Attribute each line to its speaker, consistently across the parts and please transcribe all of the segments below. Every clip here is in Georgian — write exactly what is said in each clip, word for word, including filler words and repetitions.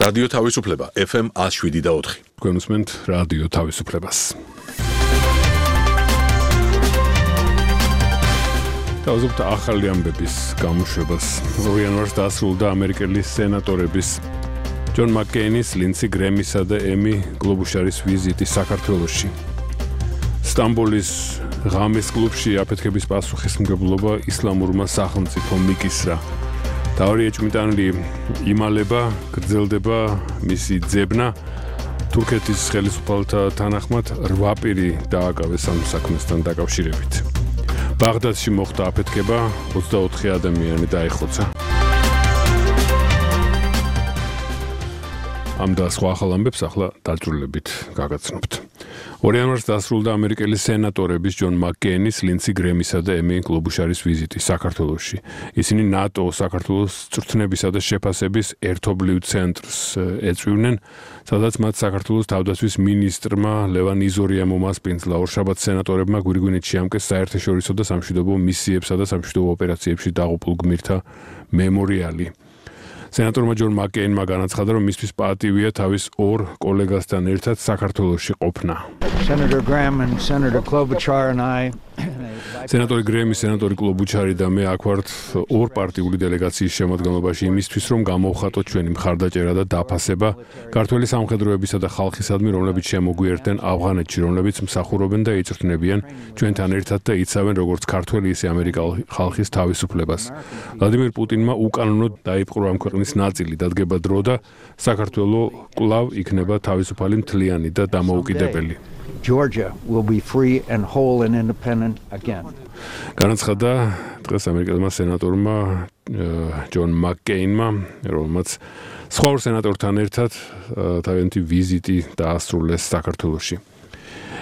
Speaker 1: რადიო თავისუფლება ეფ ემ one oh seven და four.
Speaker 2: თქვენ უსმენთ რადიო თავისუფლებას. თავზობთ ახალი ამბების გამოშვებას. ორი იანვარს დასრულდა ამერიკელი სენატორების ჯონ მაკკეინის, ლინდსი გრემისა და ემი გლობუშარის ვიზიტი საქართველოში. სტამბოლის ღამის კლუბში აფეთქების პასუხისმგებლობა ისლამურმა სახელმწიფო მიკისრა. თავი ეჭვმიტანილი იმალება, გრძელდება მისი ძებნა. თურქეთის ხელისუფალთა თანახმად რვა პირი დააკავეს ამ საქმესთან დაკავშირებით. ბაღდადში მოხდა აფეთქება, ოცდაოთხი ადამიანი დაიხოცა. ამ და სხვა ახალ ამბებს ახლა დაწვრილებით გაგაცნობთ. ორი იანვარს დასრულდა ამერიკელი სენატორების ჯონ მაკკეინის, ლინდსი გრემისა და ემი გლობუშარის ვიზიტი საქართველოში. ისინი ნატო საქართველოს წვრთნებისა და შეფასების ერთობლივ ცენტრს ეწვივნენ, სადაც მათ საქართველოს თავდაცვის მინისტრმა ლევან იზორიამ უმასპინძლა. ორშაბათს სენატორებმა გვირგვინით შეამკეს საერთაშორისო და სამშვიდობო მისიებსა და სამშვიდობო ოპერაციებში დაღუპულ გმირთა მემორიალი. სენატორმა ჯონ მაკკეინმა განაცხადა, რომ მისთვის პატივია თავის ორ კოლეგასთან ერთად საქართველოში ყოფნა.
Speaker 3: Senator Graham and Senator Klobuchar and I
Speaker 2: სენატორი გრემი, სენატორი კლობუჩარი და მე აქ ვართ ორ პარტიული დელეგაციის შემადგენლობაში იმისთვის, რომ გამოვხატოთ ჩვენი მხარდაჭერა და დაფასება ქართველი სამხედროებისა და ხალხისადმი, რომლებიც შემოგვიერთდნენ ავღანეთში, რომლებიც მსახურობენ და იწვრთნებიან ჩვენთან ერთად და იცავენ როგორც ქართველი, ისე ამერიკული ხალხის თავისუფლებას. ვლადიმერ პუტინმა უკანონოდ დაიპყრო ამ ქვეყნის ნაწილი, დადგება დრო და საქართველო კვლავ იქნება თავისუფალი, მთლიანი და დამოუკიდებელი.
Speaker 3: Georgia will be free and whole and independent again.
Speaker 2: განაცხადა დღეს ამერიკელმა სენატორმა ჯონ მაკკეინმა, რომელმაც სხვა ორ სენატორთან ერთად თავიანთი ვიზიტი დაასრულეს საქართველოში.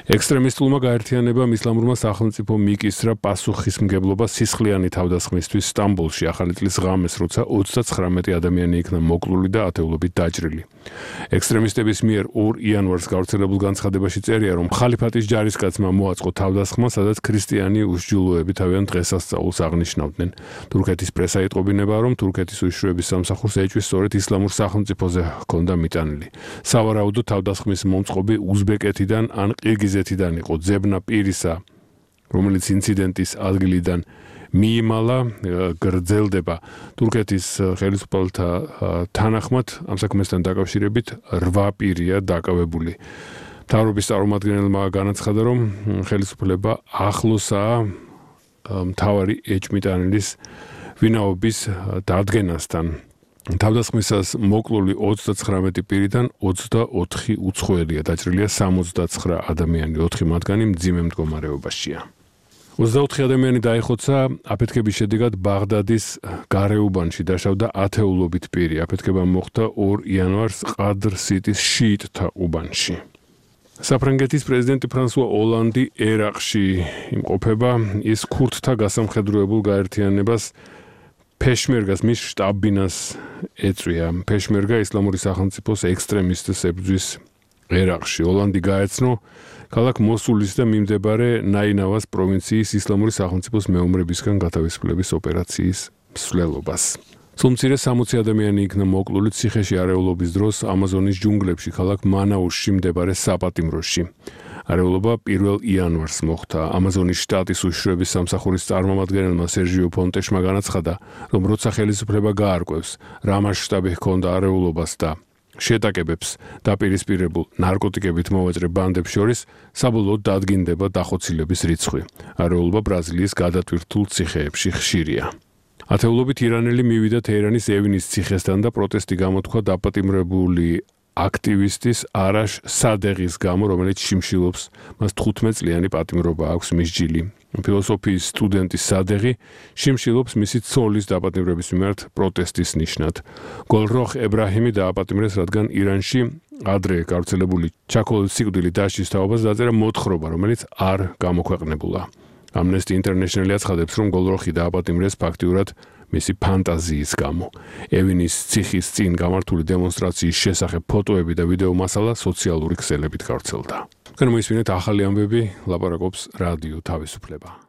Speaker 2: ექსტრემისტულმა გაერთიანებამ ისლამურმა სახელმწიფო მიკისრა პასუხისმგებლობა სისხლიანი თავდასხმისთვის სტამბოლში ახალი წლის ღამეს, როცა ოცდაცხრამეტი ადამიანი იქნა მოკლული და ათეულობით დაჭრილი. ექსტრემისტების მიერ ორ იანვარს გავრცელებულ განცხადებაში წერია, რომ ხალიფატის ჯარისკაცმა მოაწყო თავდასხმა, სადაც ქრისტიანი უშჯულოები თავიანთ დღესასწაულს აღნიშნავდნენ. თურქეთის პრესა იტყობინება, რომ თურქეთის უშიშროების სამსახურს ეჭვის სწორედ ისლამურ სახელმწიფოზე ჰქონდა მიტანილი. სავარაუდოდ თავდასხმის მომწყობი უზბეკეთიდან ან ყირგიზეთიდან იყო. ძებნა პირისა, რომელიც ინციდენტის ადგილიდან მიიმალა, გრძელდება. თურქეთის ხელისუფალთა თანახმად ამ საქმესთან დაკავშირებით რვა პირია დაკავებული. მთავრობის წარმომადგენელმა განაცხადა, რომ ხელისუფლება ახლოსაა მთავარი ეჭვმიტანილის ვინაობის დადგენასთან. თავდასხმისას მოკლული ოცდაცხრამეტი პირიდან ოცდაოთხი უცხოელია, დაჭრილია სამოცდაცხრა ადამიანი, ოთხი მათგანი მძიმე მდგომარეობაშია. ოცდაოთხი ადამიანი დაიხოცა, აფეთქების შედეგად ბაღდადის გარეუბანში დაშავდა ათეულობით პირი. აფეთქება მოხდა ორ იანვარს ყადრ-სიტის შიიტთა უბანში. საფრანგეთის პრეზიდენტი ფრანსუა ოლანდი ერაყში იმყოფება, ის ქურთთა გასამხედროებულ გაერთიანებას ფეშმერგას მის შტაბ-ბინას ეწვია. ფეშმერგა ისლამური სახელმწიფოს ექსტრემისტებს ებრძვის ერაყში. ოლანდი გაეცნო ქალაქ მოსულის და მიმდებარე ნაინავას პროვინციის ისლამური სახელმწიფოს მეომრებისგან გათავისუფლების ოპერაციის მსვლელობას. სულ სამოცი ადამიანი იქნა მოკლული ციხეში არეულობის დროს ამაზონის ჯუნგლებში ქალაქ მანაუსში მდებარე საპატიმროში. არეულობა პირველ იანვარს მოხდა. ამაზონის შტატის უშიშროების სამსახურის წარმომადგენელმა სერჟიო ფონტეშმა განაცხადა, რომ როცა ხელისუფლება გაარკვევს, რა მასშტაბი ჰქონდა არეულობას და შეტაკებებს დაპირისპირებულ ნარკოტიკებით მოვაჭრე ბანდებს შორის, საბოლოოდ დადგინდება დახოცილების რიცხვი. არეულობა ბრაზილიის გადატვირთულ ციხეებში ხშირია. ათეულობით ირანელი მივიდა თეირანის ევილის ციხესთან და პროტესტი გამოთქვა დაპატიმრებული აქტივისტის არაშ სადეღის გამო, რომელიც შიმშილობს, მას თხუთმეტწლიანი პატიმრობა აქვს მისჯილი. ფილოსოფიის სტუდენტი სადეღი შიმშილობს მისი ცოლის დაპატიმრების მიმართ პროტესტის ნიშნად. გოლროხ ებრაჰიმი დააპატიმრეს, რადგან ირანში ადრე გავრცელებული ჩაქოლით სიკვდილით დასჯის თაობას დაწერა მოთხრობა, რომელიც არ გამოქვეყნებულა. Amnesty International აცხადებს, რომ გოლროხი დააპატიმრეს ფაქტიურად მისი ფანტაზიის გამო. ევილის ციხის წინ გამართული დემონსტრაციის შესახებ ფოტოები და ვიდეო მასალა სოციალური ქსელებით გავრცელდა. თქვენ მოისმინეთ ახალი ამბები, ლაპარაკობს რადიო თავისუფლება.